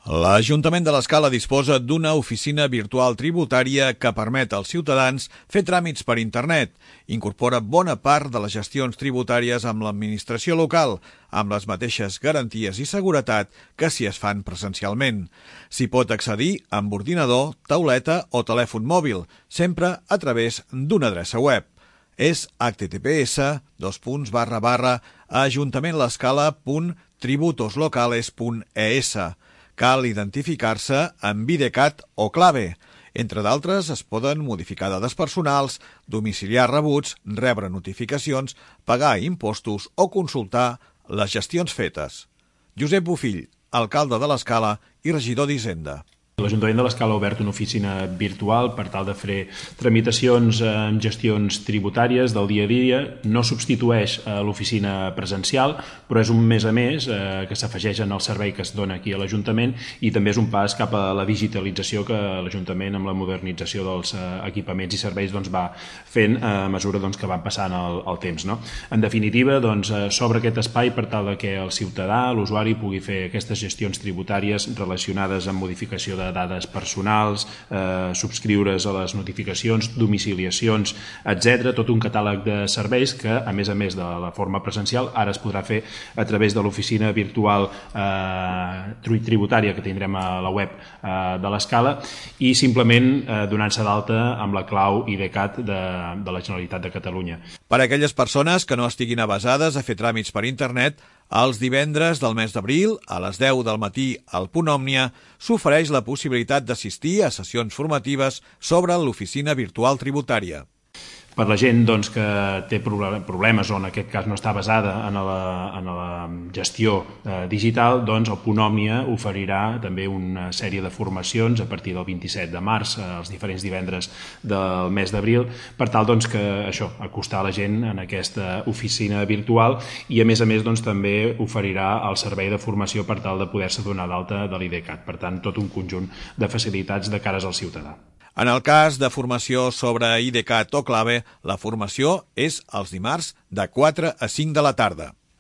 L'Ajuntament de l'Escala disposa d'una oficina virtual tributària que permet als ciutadans fer tràmits per internet. Incorpora bona part de les gestions tributàries amb l'administració local, amb les mateixes garanties i seguretat que si es fan presencialment. S'hi pot accedir amb ordinador, tauleta o telèfon mòbil, sempre a través d'una adreça web. És https://ajuntamentlascala.tributoslocales.es. Cal identificar-se amb IDCAT o clave. Entre d'altres, es poden modificar dades personals, domiciliar rebuts, rebre notificacions, pagar impostos o consultar les gestions fetes. Josep Bofill, alcalde de l'Escala i regidor d'Hisenda. L'Ajuntament de l'Escala ha obert una oficina virtual per tal de fer tramitacions en gestions tributàries del dia a dia. No substitueix l'oficina presencial, però és un més a més que s'afegeix en el servei que es dona aquí a l'Ajuntament i també és un pas cap a la digitalització que l'Ajuntament, amb la modernització dels equipaments i serveis, va fent a mesura que van passant el temps. En definitiva, s'obre aquest espai per tal que el ciutadà, l'usuari, pugui fer aquestes gestions tributàries relacionades amb modificació de dades personals, subscriure's a les notificacions, domiciliacions, etc. Tot un catàleg de serveis que, a més de la forma presencial, ara es podrà fer a través de l'oficina virtual tributària que tindrem a la web de l'Escala i simplement donant-se d'alta amb la clau IDCAT de la Generalitat de Catalunya. Per a aquelles persones que no estiguin avesades a fer tràmits per internet, els divendres del mes d'abril, a les 10 del matí al Punt Òmnia, s'ofereix la possibilitat d'assistir a sessions formatives sobre l'oficina virtual tributària. Per la gent que té problemes o en aquest cas no està basada en la gestió digital, el Punt Òmnia oferirà també una sèrie de formacions a partir del 27 de març, els diferents divendres del mes d'abril, per tal acostar la gent en aquesta oficina virtual i a més també oferirà el servei de formació per tal de poder-se donar d'alta de l'IDCAT. Per tant, tot un conjunt de facilitats de cares al ciutadà. En el cas de formació sobre IDCAT o clave, la formació és els dimarts de 4 a 5 de la tarda.